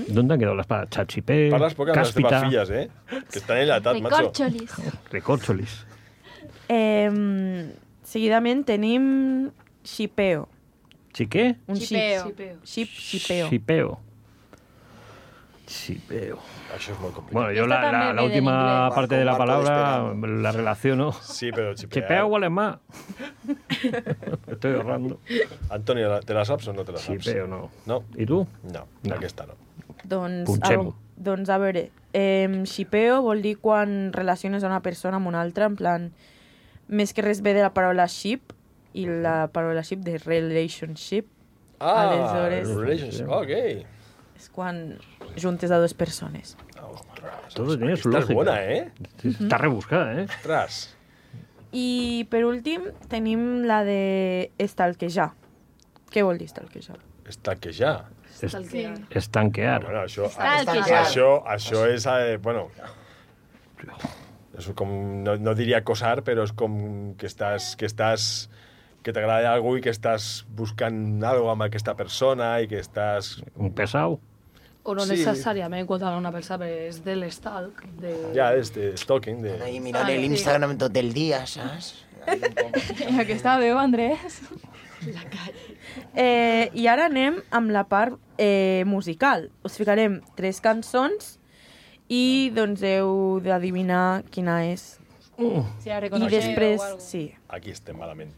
¿Dónde han quedado las palabras? Chachipé, Parles poc amb les teves cáspita, filles, eh? Que estan enlatat, macho. Recorcholis. recorcholis. Eh, seguidament tenim xipeo. ¿Chiqué? Un Xipeo. xip. Xip, xipeo. Chipeo. Chipeo. Això és molt complicat. Bueno, yo Esta la, la, también la viene en última inglés. parte de la Marco palabra despegando. la relaciono. Sí, però xipear... Chipeo huele más. Estoy ahorrando. Antonio, ¿la- ¿te la saps o no te la saps? Chipeo no. No? ¿Y tú? No, No. aquesta no. Doncs, Punxem-ho. al- doncs a veure, eh, xipeo vol dir quan relaciones a una persona amb una altra, en plan, més que res ve de la paraula ship i la paraula ship de relationship. Ah, Aleshores- relationship, ok. És quan juntes a dues persones. Todo tiene su Esta lógica. és bona, eh? Sí, Está rebuscada, ¿eh? Ostres. I per últim tenim la de estalquejar. Què vol dir estalquejar? Estalquejar. Stalkear. Estanquear. Bueno, això, Estalquejar. això, això és, eh, bueno, és com, no, no diria acosar, però és com que estàs, que estàs, que t'agrada algú i que estàs buscant algo amb aquesta persona i que estàs... Un pesado. O no Sí. necessàriament quan una persona és de l'estalc. De... Ja, és de stalking, de... Ahí mirant l'Instagram tot el dia, saps? Aquesta veu, Andrés. Eh, I ara anem amb la part eh, musical. Us ficarem tres cançons i doncs heu d'adivinar quina és. Si la I reconeixeu després, o algo. sí. Aquí estem malament.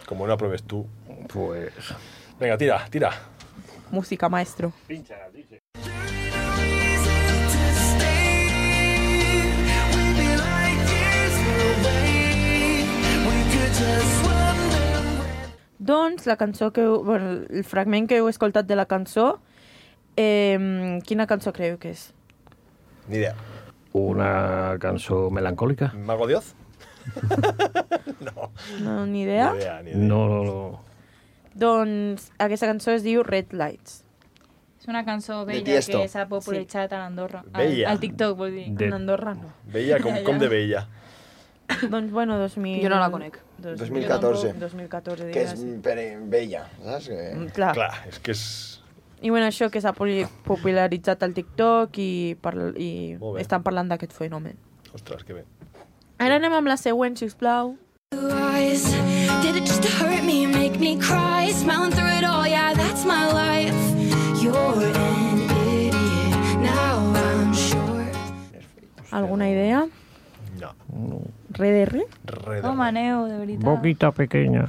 Com no apruebes tu. Pues... Vinga, tira, tira. Música, maestro. Doncs la cançó que... heu- Bueno, el fragment que heu escoltat de la cançó, eh, quina cançó creieu que és? Ni idea. Una cançó melancólica. Mago Dioz? no. No, ni idea? Ni idea, ni idea. No, no, no. Doncs aquesta cançó es diu Red Lights. És una cançó De vella Tiesto. que s'ha popularitzat a l'Andorra. Al, Vella. al TikTok, vol dir. De- En Andorra no. Veia com, com de veia. Doncs bueno, dos mil... Jo no la conec. dos mil catorze. dos mil catorze, Que és digues. per vella, saps? Que... Mm, Clar. Clar, és que és... I bueno, això que s'ha poli- popularitzat al TikTok i, parla, i Molt bé. estan parlant d'aquest fenomen. Ostres, que bé. Ara anem amb la següent, sisplau. Eyes. Did it just to hurt me, make me cry? Smiling through it all, yeah, that's my life. You're in Alguna idea? No. Re de re? Re de Com aneu, de veritat? Boquita pequeña.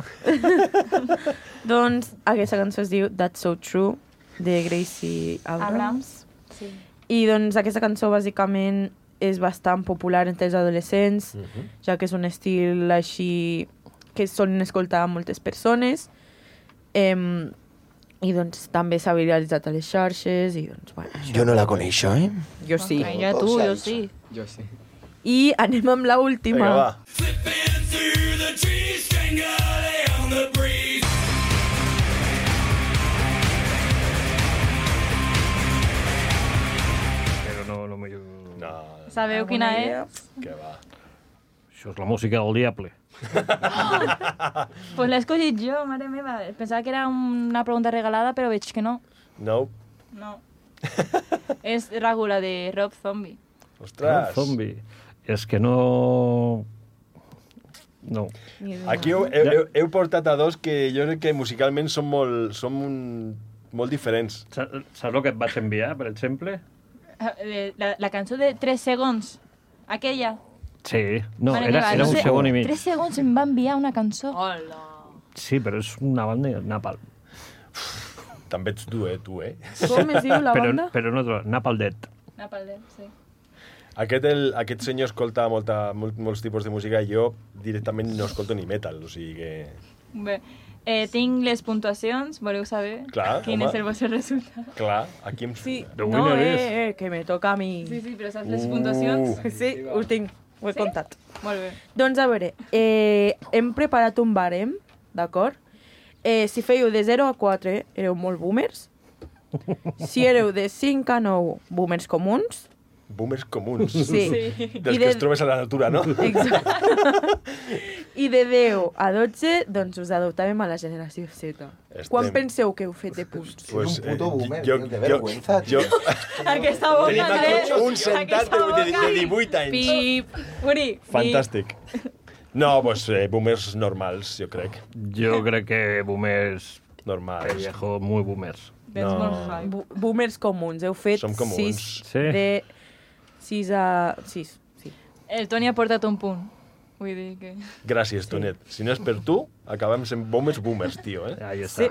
Doncs aquesta cançó es diu That's So True, de Gracie Abrams. Abrams. Sí. I doncs aquesta cançó bàsicament és bastant popular entre els adolescents, Uh -huh. ja que és un estil així que solen escoltar moltes persones. Em, I doncs també s'ha viralitzat a les xarxes i doncs, bueno, això. Jo no la coneixo, eh? Jo sí. Okay, ja tu, jo sí. Jo sí. I anem amb la última. Vinga, va. Però no, no m'hi... No, Sabeu quina és? que va. Això és la música del diable. Pues l'he escollit jo, mare meva. Pensava que era una pregunta regalada, però veig que no. No. No. És Ràgula, de Rob Zombie. Ostres. Zombie. És que no... No. Aquí heu, heu, heu, heu portat a dos que jo crec que musicalment són molt, són un, molt diferents. Sa- Saps el que et vaig enviar, per exemple? Eh, La, la cançó de tres segons. Aquella. Sí. No, Mare era, meva, era no un sé, segon i mig. Tres segons em va enviar una cançó. Hola. Sí, però és una banda Napalm. També ets tu, eh, tu, eh? Com es diu la Però, banda? però no, Napalm Dead. Napalm, sí. Aquest, el, aquest senyor escolta molta, molt, molts tipus de música i jo directament no escolto ni metal, o sigui que... Bé, eh, tinc les puntuacions, voleu saber Clar, quin home. és el vostre resultat? Clar, aquí em... Sí, The no, winner eh, is- eh, que me toca a mi. Sí, sí, però saps les Uh. puntuacions? Sí, ho tinc, ho he Sí? comptat. Molt bé. Doncs a veure, eh, hem preparat un barem, d'acord? Eh, si fèieu de zero a quatre, éreu molt boomers. Si éreu de cinc a nou, boomers comuns. Boomers comuns. Sí. Dels I que de- es trobes a la natura, no? Exacte. I de deu a dotze, doncs us adoptàvem a la generació Z. Estem- Quan penseu que heu fet de punts? Pues, un puto boomer, jo, tio, que jo, vergüenza, jo, Aquesta boca, Tenim aquí Andrés. un sentat de, de, de divuit anys. Pip. Uri. Fantàstic. No, pues eh, boomers normals, jo crec. Jo crec que boomers... Normals. Pellejo, muy boomers. Tens No. molt hype. Bo- Boomers comuns. Heu fet Som comuns. sis Sí. de... sis a... sis, sí. El Toni ha portat un punt. Vull dir que... Gràcies, Tonet. Si no és per tu, acabem sent boomers boomers, tio, eh? Ahí está.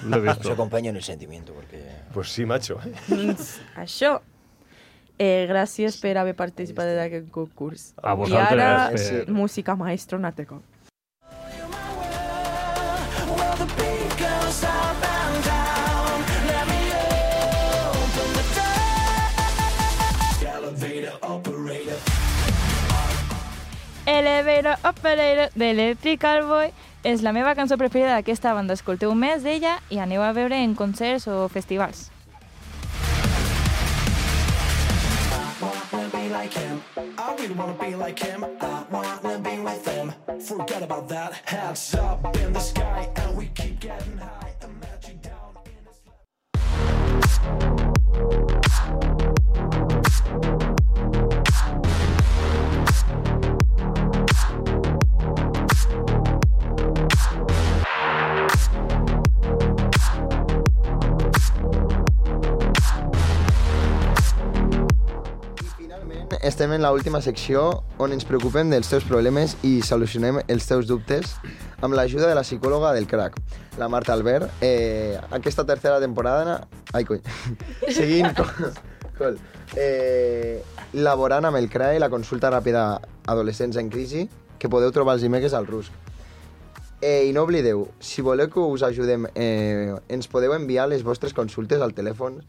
Lo he Os visto. acompaño en el sentimiento, porque... Pues sí, macho. Eh? Doncs això. Eh, gràcies per haver participat d'aquest concurs. A I vosaltres, ara, per- música maestro, un altre cop. Elevator Operator d'Electrical Boy és la meva cançó preferida d'aquesta banda. Escolteu més d'ella i aneu a veure en concerts o festivals. I really wanna be like him. I wanna be with him. Forget about that. Hands up in the sky, and we keep getting high. Imagine down in the slum. Estem en l'última secció on ens preocupem dels teus problemes i solucionem els teus dubtes amb l'ajuda de la psicòloga del crack, la Marta Albert. Eh, aquesta tercera temporada... Ai, cony. Seguint con, col, eh, laborant amb el C R A E, la consulta ràpida adolescents en crisi, que podeu trobar els dimecres al Rusc. Eh, I no oblideu, si voleu que us ajudem, eh, ens podeu enviar les vostres consultes al telèfon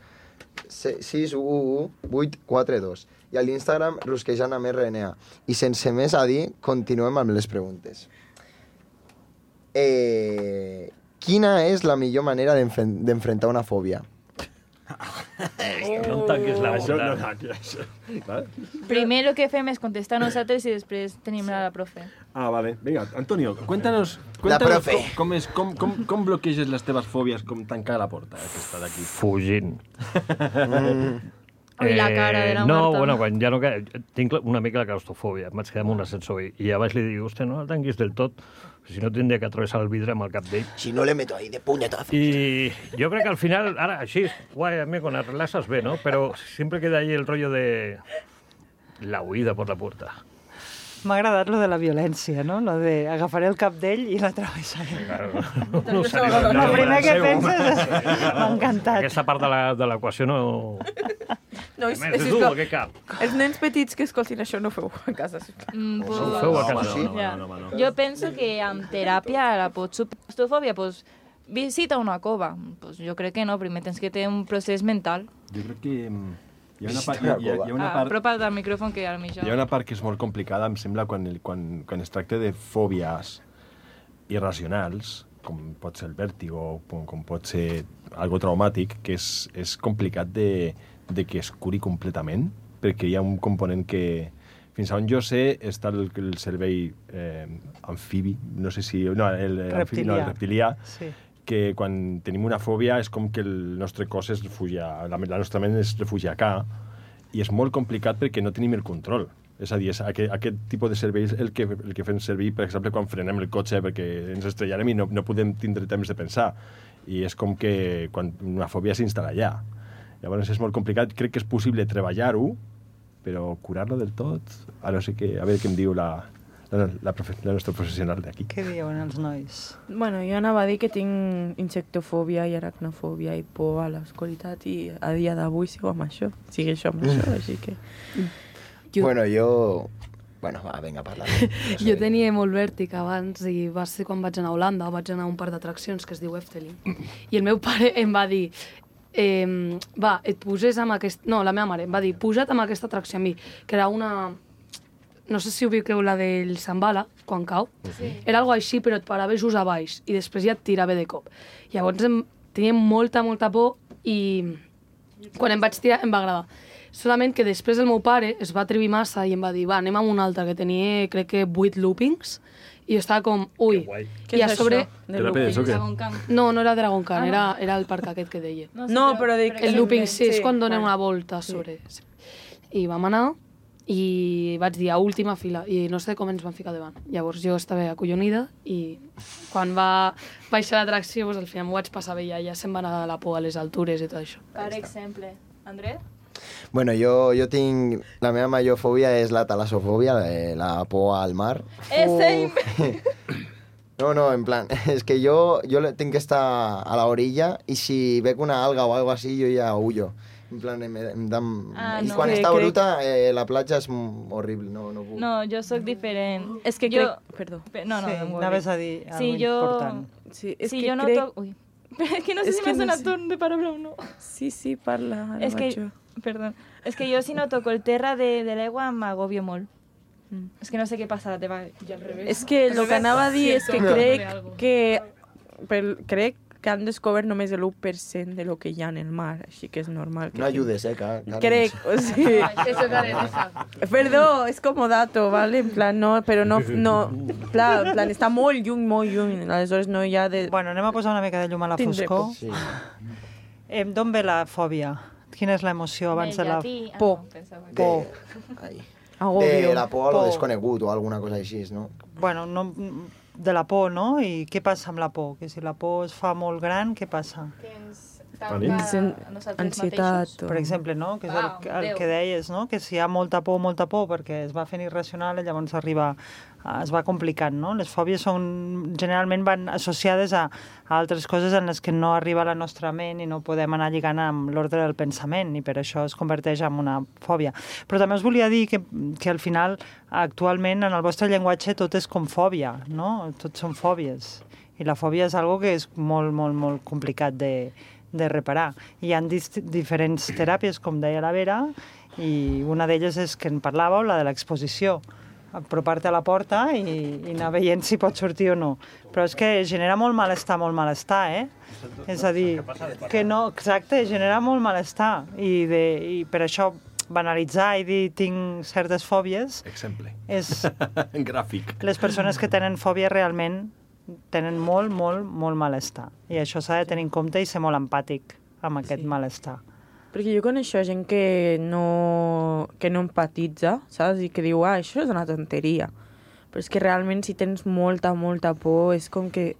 sis u u vuit quatre dos i a l'Instagram rusquejant amb R N A. I sense més a dir, continuem amb les preguntes. Eh, quina és la millor manera d'enfren- d'enfrontar una fòbia? No em tanquis la Això no, boca. no, això. Vale? Primer el que fem és contestar nosaltres i després tenim la profe. Ah, vale. Venga, Antonio, cuéntanos, La cuéntanos profe. com, com, és, com, com, com bloqueges les teves fòbies, com tancar la porta aquesta d'aquí. Fugint. Ui, la cara de la no, Marta. bueno, quan ja no... que- Tinc la- una mica la claustrofòbia. Em vaig quedar amb un ascensor i, i a baix li dic, hòstia, no el tanquis del tot, si no tindria que atravessar el vidre amb el cap d'ell. Si no le meto ahí de puñetazo. Y yo creo que al final, ahora, sí, guay, amigo, con las relaxas ve, ¿no? Pero siempre queda ahí el rollo de... La huida por la puerta. M'ha agradat lo de la violència, no? Lo de agafaré el cap d'ell i la travessaré. Claro. No, el primer que penses és... M'ha encantat. Aquesta part de la- de l'equació no... No, és, Més, és, és tu, és, aquest cap. els nens petits que escoltin això no feu a casa, sisplau. Mm, pues, Ho feu a casa. sí. No, no, no, no, no. Jo penso que amb teràpia la pots superar. Claustrofòbia, pues, visita una cova. Pues jo crec que no, primer tens que tenir un procés mental. Jo crec que mm, hi ha una part, hi ha, hi ha, hi ha una Ah, part, apropa't al micròfon que ara mitja. hi ha una part que és molt complicada, em sembla, quan, el, quan, quan es tracta de fòbies irracionals, com pot ser el vèrtigo, com, com pot ser algo traumàtic, que és, és complicat de, de que es curi completament, perquè hi ha un component que, fins a on jo sé, està el, el cervell eh, amfibi, no sé si... No, el, el amfibi, no, el reptilià, Sí. que quan tenim una fòbia és com que el nostre cos es refugia, la, la nostra ment es refugia acá, i és molt complicat perquè no tenim el control. És a dir, és aquest, aquest tipus de servei és el que, el que fem servir, per exemple, quan frenem el cotxe perquè ens estrellarem i no, no podem tindre temps de pensar. I és com que quan una fòbia s'instal·la allà. Llavors és molt complicat. Crec que és possible treballar-ho, però curar-lo del tot, a no sé què, a veure què em diu la, la, la, profe, la nostra professional d'aquí. Què diuen els nois? Bueno, jo anava a dir que tinc insectofòbia i aracnofòbia i por a l'oscuritat i a dia d'avui sigo amb això. Sigue això amb això, així que... Jo... Bueno, jo... Bueno, va, vinga, parla. Jo tenia molt vèrtic abans i va ser quan vaig anar a Holanda, vaig anar a un parc d'atraccions que es diu Efteling. I el meu pare em va dir, eh, va, et poses amb aquest... No, la meva mare em va dir, puja't amb aquesta atracció amb mi, que era una... No sé si ubiqueu la del Zambala, quan cau. Sí. Era algo així, però et paraves just a baix i després ja et tirava de cop. Llavors em, tenia molta, molta por i quan em vaig tirar em va agradar. Solament que després el meu pare es va atrevir massa i em va dir, va, anem amb un altre, que tenia, crec que, vuit loopings, i jo estava com, ui. Què I a és sobre... això, de loopings? Dragon Khan. No, no era Dragon Khan, Ah, no. era, era el parc aquest que deia. No, sí, No, però- però dic... però El looping, sí, és sí, quan donen vale. una volta sobre. Sí. I vam anar i vaig dir a última fila i no sé com ens van ficar davant. Llavors jo estava acollonida i quan va baixar l'atracció, doncs, al final m'ho vaig passar bé ja, ja se'm va anar la por a les altures i tot això. Per exemple, André? Bueno, jo, jo tinc... La meva major fòbia és la talassofòbia, la, la por al mar. Eh, same! No, no, en plan, és que jo, jo tinc que estar a la orilla i si veig una alga o algo así, jo ja huyo. En plan, em, em da... Ah, I no. quan Que està crec- bruta, eh, la platja és mm, horrible, no, no puc. No, jo sóc diferent. És que jo... crec... Perdó. Pe- No, no, Sí, no em anaves worry. a dir Sí, algo jo... important. Sí, és sí, que jo no crec... toc... Ui. És que no sé És si que m'has no donat sé. torn de paraula o no. Sí, sí, parla. ara És que, vaig jo. perdó, és que jo si no toco el terra de, de l'aigua m'agobio molt. Mm. És que no sé què passa a la teva... És que el que anava a dir és que crec que, per, crec que han descobert només l'u per cent de lo que hi ha en el mar, així que és normal. Que No ayudes, eh, Car- Carles. Crec, o sigui... Eso, Karen, esa. Perdó, és como dato, ¿vale? En plan, no, però no... no plan, en plan, està molt lluny, molt lluny. Aleshores no hi ha de... Bueno, anem a posar una mica de llum a la Tindré foscor. por. Sí. Eh, D'on ve la fòbia? Quina és l'emoció abans de la... Por. Por. Ai. Agobio. De la por a lo Por. desconegut o alguna cosa així, no? Bueno, no, de la por, no? I què passa amb la por? Que si la por es fa molt gran, què passa? Que ens Vale. tanca a nosaltres Ansietat. mateixos. Per exemple, no? Que és el, Uau, el Déu. que deies, no? Que si hi ha molta por, molta por, perquè es va fent irracional, llavors arriba, es va complicant, no? Les fòbies són, generalment van associades a, a altres coses en les que no arriba la nostra ment i no podem anar lligant amb l'ordre del pensament i per això es converteix en una fòbia. Però també us volia dir que, que al final, actualment, en el vostre llenguatge tot és com fòbia, no? Tot són fòbies. I la fòbia és algo que és molt, molt, molt complicat de, de reparar. Hi ha diferents teràpies, com deia la Vera, i una d'elles és que en parlàveu, la de l'exposició. Apropar-te a la porta i, i anar veient si pot sortir o no. Però és que genera molt malestar, molt malestar, eh? És a dir, que no, exacte, genera molt malestar. I, de, i per això banalitzar i dir tinc certes fòbies Exemple. és... Gràfic. Les persones que tenen fòbia realment tenen molt, molt, molt malestar. I això s'ha de tenir en compte i ser molt empàtic amb aquest Sí. malestar. Perquè jo coneixo gent que no, que no empatitza, saps? I que diu, ah, això és una tonteria. Però és que realment si tens molta, molta por, és com que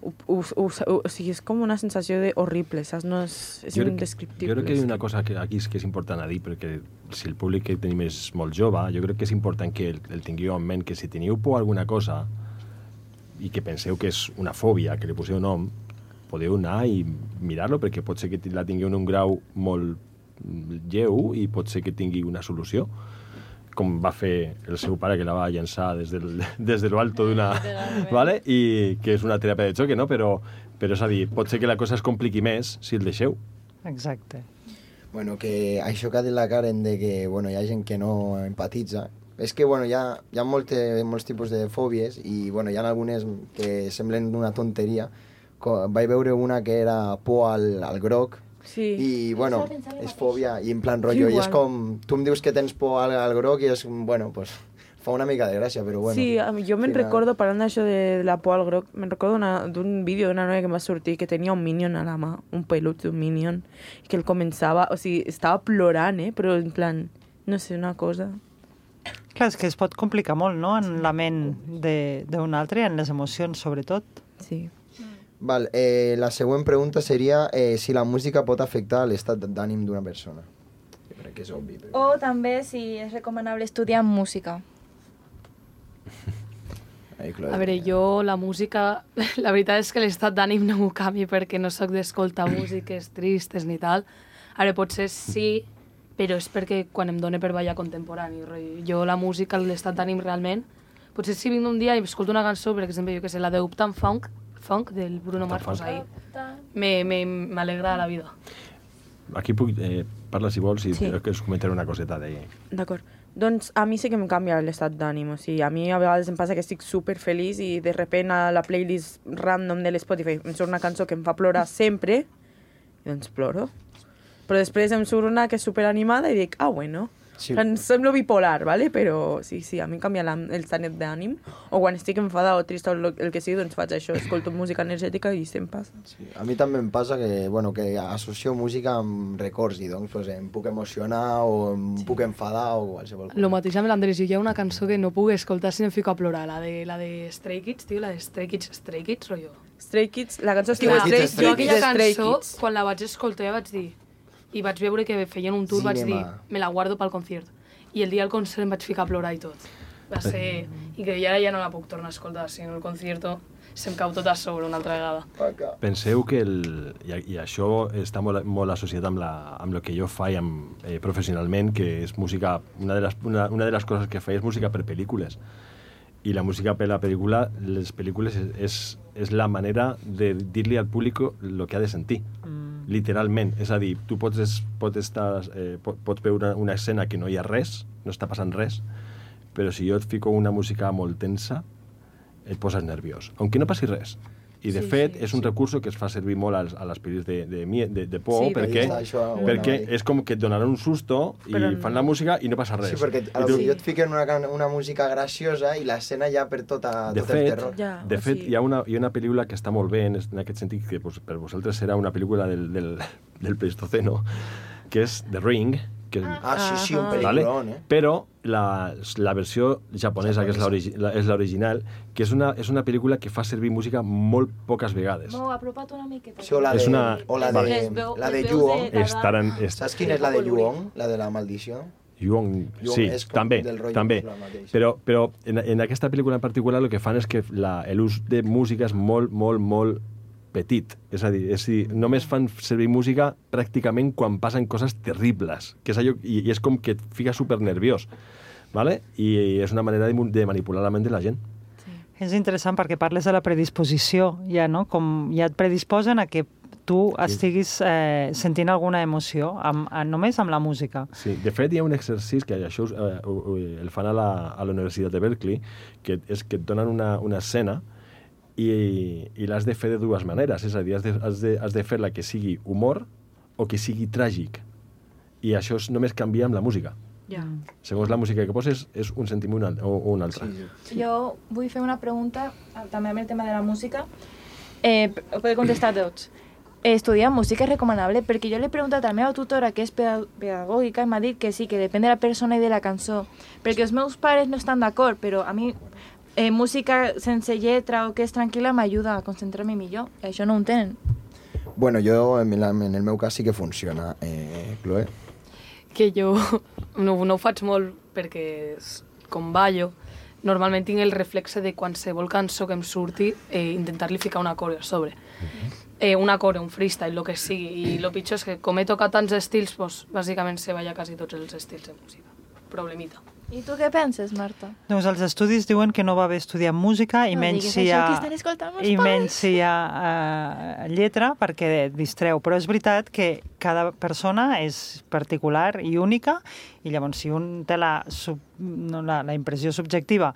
ho, ho, ho, ho, o sigui, és com una sensació de horrible, saps? No és, és jo crec, indescriptible. Jo crec que hi ha una cosa que aquí és que és important a dir, perquè si el públic que tenim és molt jove, jo crec que és important que el, el tingueu en ment, que si teniu por a alguna cosa i que penseu que és una fòbia, que li poseu nom, podeu anar i mirar-lo, perquè pot ser que la tingueu en un grau molt lleu i pot ser que tingui una solució, com va fer el seu pare, que la va llançar des, del, des de lo alto d'una... ¿vale? I que és una teràpia de xoque, no? Però, però és a dir, pot ser que la cosa es compliqui més si el deixeu. Exacte. Bueno, que això que ha dit la Karen de que bueno, hi ha gent que no empatitza, és que bueno, hi ha, hi ha molte, molts tipus de fòbies i bueno, hi ha algunes que semblen una tonteria. Vaig veure una que era por al, al groc, sí. I bueno, és fòbia, i en plan rotllo, i és com, tu em dius que tens por al, al groc i és, bueno, pues, fa una mica de gràcia, però bueno. Sí, jo me'n final... recordo, parlant d'això de la por al groc, me'n recordo d'un vídeo d'una noia que em va sortir que tenia un Minion a la mà, un pelut d'un Minion, i que el començava, o sigui, estava plorant, eh, però en plan, no sé, una cosa... Clar, és que es pot complicar molt, no?, en la ment d'un altre, en les emocions, sobretot. Sí. Val, eh, la següent pregunta seria eh, si la música pot afectar l'estat d'ànim d'una persona. Jo crec que és obvi. Però... O també si és recomanable estudiar música. Ai, A veure, jo la música... La veritat és que l'estat d'ànim no m'ho canvi perquè no sóc d'escoltar músiques tristes ni tal. Ara, potser sí, però és perquè quan em dóna per ballar contemporani. Jo la música, l'estat d'ànim realment... Potser si vinc un dia i escolto una cançó, per exemple, jo que sé, la de Uptown Funk, Funk del Bruno Mars, pues ahí m'alegra la vida. Aquí puc eh, parlar si vols i Sí. que us comentaré una coseta d'ahir. D'acord. Doncs a mi sí que em canvia l'estat d'ànim. O sigui, a mi a vegades em passa que estic super feliç i de repent a la playlist random de l'Spotify em surt una cançó que em fa plorar sempre i doncs ploro. Però després em surt una que és super animada i dic, ah, bueno. Sí. Em semblo bipolar, ¿vale? Però sí, sí, a mi em canvia la, el estat d'ànim. O quan estic enfadada o trista o el, el que sigui, doncs faig això, escolto música energètica i se'm passa. Sí. A mi també em passa que, bueno, que associo música amb records i doncs pues, em puc emocionar o em sí. puc enfadar o qualsevol cosa. Lo mateix amb l'Andrés, jo hi ha una cançó que no puc escoltar si em fico a plorar, la de, la de Stray Kids, tio, la de Stray Kids, Stray Kids, rotllo. Stray Kids, la cançó es Tio, diu Stray Stray, jo aquella Stray cançó, Kids. quan la vaig escoltar ja vaig dir, i vaig veure que feien un tour, vaig dir, Cinema. me la guardo pel concert. I el dia del concert em vaig ficar a plorar i tot. Va ser... I que ara ja no la puc tornar a escoltar, si no el concierto se'm cau tot a sobre una altra vegada. Penseu que, el, i, i això està molt, molt associat amb, la, amb el que jo faig amb, eh, professionalment, que és música, una de, les, una, una de les coses que faig és música per pel·lícules. I la música per la pel·lícula, les pel·lícules és, és, és la manera de dir-li al públic el que ha de sentir. Mm. Literalment. És a dir, tu pots, es, pots, estar, eh, pots veure una, una escena que no hi ha res, no està passant res, però si jo et fico una música molt tensa, et poses nerviós, aunque no passi res. I, de Sí, fet, sí, és un sí. recurso que es fa servir molt als, a les pel·lis de, de, mie- de, de por, Sí, perquè, perquè això ho perquè anava a dir. és com que et donaran un susto i Però fan no. la música i no passa res. Sí, perquè I a tu- lo millor et fiquen una, can- una música graciosa i l'escena ja per tota, De tot el fet, terror. Ja, de o fet sigui- hi, ha una, hi ha una pel·lícula que està molt bé en, en aquest sentit, que pues, per vosaltres serà una pel·lícula del, del, del Pleistoceno, que és The Ring, que, Ah, sí, sí, un Ahà. pel·lículon, eh? però la, la versió japonesa, que és l'origi- la- és l'original, que és una, és una pel·lícula que fa servir música molt poques vegades. No, apropa't una miqueta. Sí, o la És de, una- o la vale. de, Les veu- la de les veus Yuon. de- Estaran, est... Saps quina és la de Yuon? La de la maldició? Yuon, Yuon sí, és com també, del rotllo també. la mateixa. Però, però en, en aquesta pel·lícula en particular el que fan és que la- l'ús de música és molt, molt, molt petit. És a dir, és a dir, només fan servir música pràcticament quan passen coses terribles. Que és allò, i, i és com que et fica super nerviós. ¿Vale? I, I és una manera de, mu- de manipular la ment de la gent. És interessant perquè parles de la predisposició, ja, no? Com ja et predisposen a que tu estiguis eh, sentint alguna emoció amb, a, només amb la música. Sí, de fet, hi ha un exercici que això eh, ho- ho- el fan a la, a la Universitat de Berkeley, que és que et donen una, una escena i, i l'has de fer de dues maneres. És a dir, has de, has de, has de fer-la que sigui humor o que sigui tràgic. I això és només canvia amb la música. Ja. Segons la música que poses, és un sentiment o, o un altre. Sí, sí. Jo vull fer una pregunta, eh, també amb el tema de la música. Eh, ho podeu contestar tots. Eh, estudiar música és recomanable? Perquè jo l'he preguntat a la meva tutora, que és peda- pedagògica, i m'ha dit que sí, que depèn de la persona i de la cançó. Perquè els meus pares no estan d'acord, però a mi eh, música sense lletra o que és tranquil·la m'ajuda a concentrar-me millor. Això no ho tenen. Bueno, jo, en, la, en el meu cas, sí que funciona, eh, Chloe. Que jo no, no ho faig molt perquè, com ballo, normalment tinc el reflexe de qualsevol cançó que em surti eh, intentar-li ficar una coreo a sobre. Eh, una coreo, un freestyle, el que sigui. I el pitjor és que com he tocat tants estils, pues, bàsicament se balla quasi tots els estils de música. Problemita. I tu què penses, Marta? Doncs els estudis diuen que no va bé estudiar música i No menys diguis si hi això, ha, que estan escoltant meus i pares. menys si hi ha uh, lletra perquè et distreu. Però és veritat que cada persona és particular i única i llavors si un té la, sub, no, la, la impressió subjectiva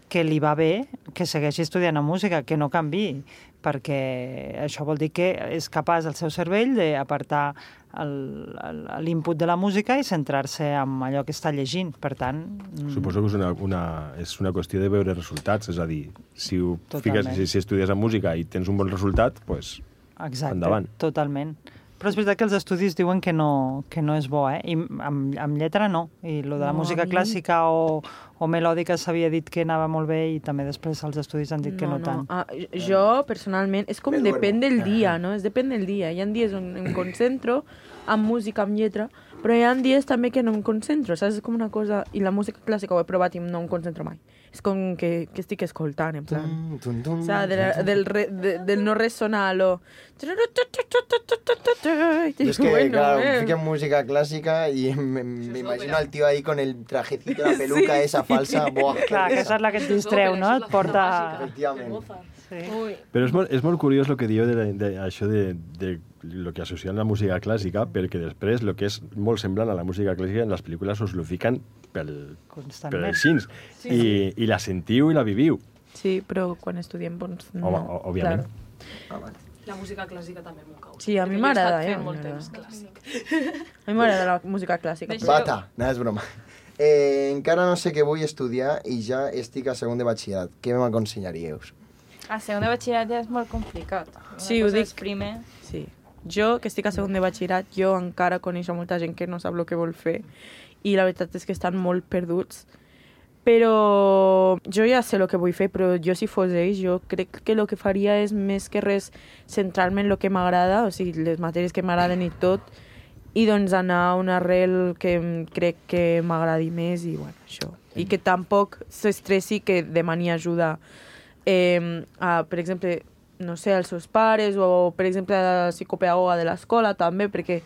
que li va bé, que segueixi estudiant música, que no canvi, perquè això vol dir que és capaç el seu cervell d'apartar l'input de la música i centrar-se en allò que està llegint. Per tant... Suposo que és una, una, és una qüestió de veure resultats, és a dir, si, ho Totalment. fiques, si, si estudies en música i tens un bon resultat, pues, Exacte, endavant. totalment. Però és veritat que els estudis diuen que no, que no és bo, eh? I amb, amb lletra no. I lo de la No, música a mi- clàssica o, o melòdica s'havia dit que anava molt bé i també després els estudis han dit que no, no. tant. Ah, jo, personalment, és com Me depèn duermo. del dia, no? És depèn del dia. Hi ha dies on em concentro amb música, amb lletra, però hi ha dies també que no em concentro, saps? És com una cosa... I la música clàssica ho he provat i no em concentro mai. És com que, que estic escoltant, en plan... Tum, tum, tum, o sigui, de la, del, re, de, del no ressonar, lo... Yo es que, Bueno, claro, eh. fiquen música clásica y me, me imagino al tío ahí con el trajecito, la peluca esa falsa. Buah, Clar, que això és la que et distreu, no? Et porta... Efectivament. Sí. Però és molt, és molt curiós el que dieu de, la- de, això de, de lo que associen la música clàssica, perquè després el que és molt semblant a la música clàssica en les pel·lícules us lo fiquen pel, per Constantment. els cins. Sí. I, I la sentiu i la viviu. Sí, però quan estudiem, doncs... No, Home, o- òbviament. Clar. La música clàssica també m'ho cau. Sí, a mi Perquè jo he m'agrada, estat eh, fent a mi molt m'agrada. temps clàssic. A mi m'agrada la música clàssica. però- Bata, no, és broma. Eh, encara no sé què vull estudiar i ja estic a segon de batxillerat. Què m'aconsellaríeu? A segon de batxillerat ja és molt complicat. Una Sí, ho cosa dic. és primer. Sí. Jo, que estic a segon de batxillerat, jo encara coneixo molta gent que no sap el que vol fer i la veritat és que estan molt perduts. Però jo ja sé el que vull fer, però jo si fos ells, jo crec que el que faria és més que res centrar-me en el que m'agrada, o sigui, les matèries que m'agraden i tot, i doncs anar a un arrel que em- crec que m'agradi més i bueno, això. I que tampoc s'estressi que demani ajuda eh, a, per exemple, no sé, als seus pares o, per exemple, a la psicopedagoga de l'escola també, perquè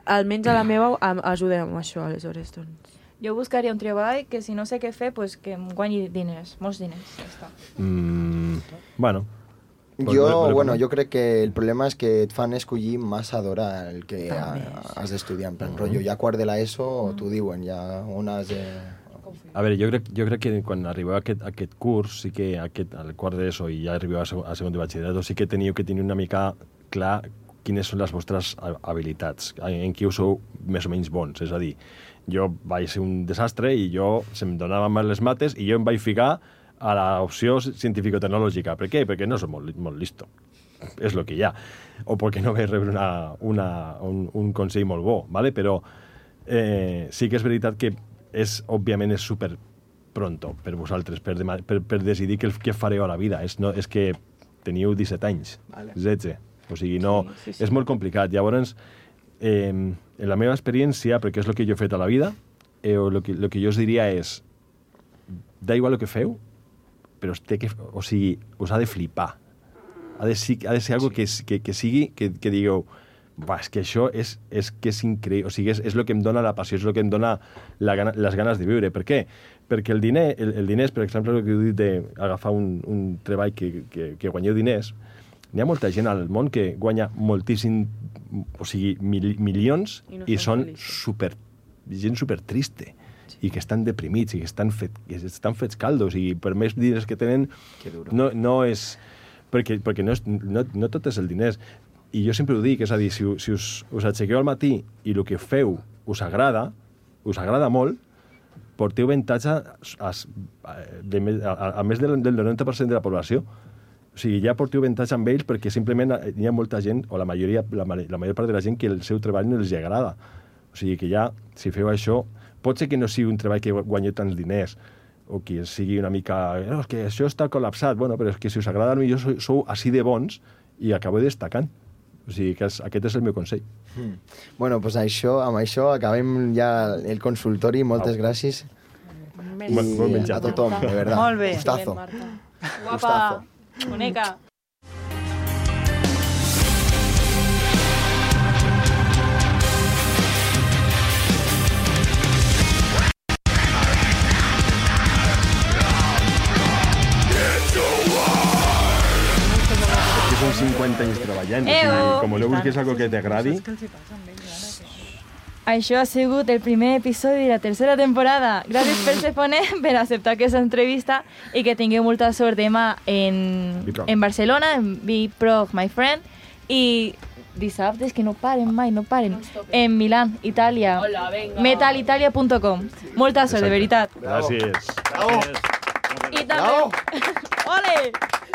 almenys a la meva am- ajuda amb això, aleshores, doncs. Jo buscaria un treball que si no sé què fer, pues que em guanyi diners, molts diners. Ja està. Mm, bueno. Jo, bueno, jo crec que el problema és que et fan escollir massa d'hora el que ha, has d'estudiar. En plan, rotllo, ja quart de l'ESO, t'ho diuen, ja on has de... A veure, jo crec, jo crec que quan arribeu a aquest, a aquest curs, sí que aquest, al quart d'ESO i ja arribeu a, segon, a segon de batxillerat, sí que teniu que tenir una mica clar quines són les vostres habilitats, en qui us sou més o menys bons. És a dir, jo vaig ser un desastre i jo se'm donaven mal les mates i jo em vaig ficar a l'opció científico-tecnològica. Per què? Perquè no soc molt, molt listo. És el que hi ha. O perquè no vaig rebre una, una, un, un consell molt bo, ¿vale? Però eh, sí que és veritat que és, òbviament, és super pronto per vosaltres, per, dema- per, per decidir què, què fareu a la vida. És, no, és que teniu disset anys, Vale. setze. O sigui, no, Sí, sí, sí. és molt complicat. Llavors, eh, en la meva experiència, perquè és el que jo he fet a la vida, eh, el que, lo que jo us diria és, da igual el que feu, però es té que, o sigui, us ha de flipar. Ha de, si- ha de ser algo que, s- que, que sigui, que, que digueu, va, és que això és, és, que és increïble, o sigui, és, és el que em dona la passió, és el que em dona la gana, les ganes de viure. Per què? Perquè el diner, el, el diners, per exemple, el que heu dit d'agafar un, un treball que, que, que guanyeu diners, n'hi ha molta gent al món que guanya moltíssim, o sigui, mil, milions, I no i són són super, gent super triste, i que estan deprimits, i que estan, fet, que estan fets caldos, i per més diners que tenen, no, no és... Perquè, perquè no, és, no, no tot és el diners. I jo sempre ho dic, és a dir, si, si us, us aixequeu al matí i el que feu us agrada, us agrada molt, porteu avantatge a, a, de, més- a, a, a més del, del noranta per cent de la població. O sigui, ja porteu avantatge amb ells perquè simplement hi ha molta gent, o la majoria, la, ma- la major part de la gent, que el seu treball no els agrada. O sigui que ja, si feu això, pot ser que no sigui un treball que guanyeu tants diners, o qui sigui una mica... No, és que això està col·lapsat. Bueno, però és que si us agrada, potser sou, sou així de bons i acabeu destacant. O sigui, que és, aquest és el meu consell. Mm. Bueno, doncs això, amb això acabem ja el consultori. Moltes Au. gràcies. I bon menjat. a tothom, de verdad. Molt bé. Gustazo. Guapa, boneca. Són cinquanta anys treballant. Eh, O sigui, oh. com voleu busquis algo que t'agradi... Això ha sigut el primer episodi de la tercera temporada. Gràcies, Persefone, per acceptar aquesta entrevista i que tingueu molta sort demà en, Biprog. en Barcelona, en Biprog, my friend, i dissabtes que no paren mai, no paren, en Milán, Itàlia, Hola, venga. metalitalia punt com. Molta sort, de veritat. Gràcies. I també... Ole!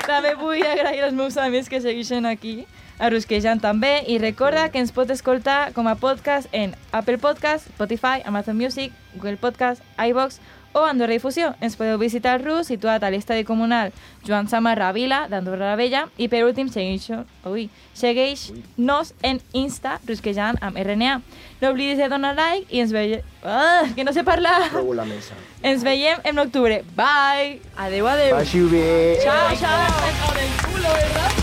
També vull agrair als meus amics que segueixen aquí, a Rusquejant també, i recorda que ens pot escoltar com a podcast en Apple Podcast, Spotify, Amazon Music, Google Podcast, iVox o Andorra Difusió. Ens podeu visitar al Rus, situat a l'estadi comunal Joan Samarra Vila d'Andorra la Vella, i per últim segueix-nos en Insta, Rusquejant amb R N A. No oblidis de donar like i ens veiem... Ah, que no sé parlar! Trobo la mesa. Ens veiem en octubre. Bye! Adeu, adeu! Passi-ho bé! Ciao, ciao! Del culo, ¿verdad?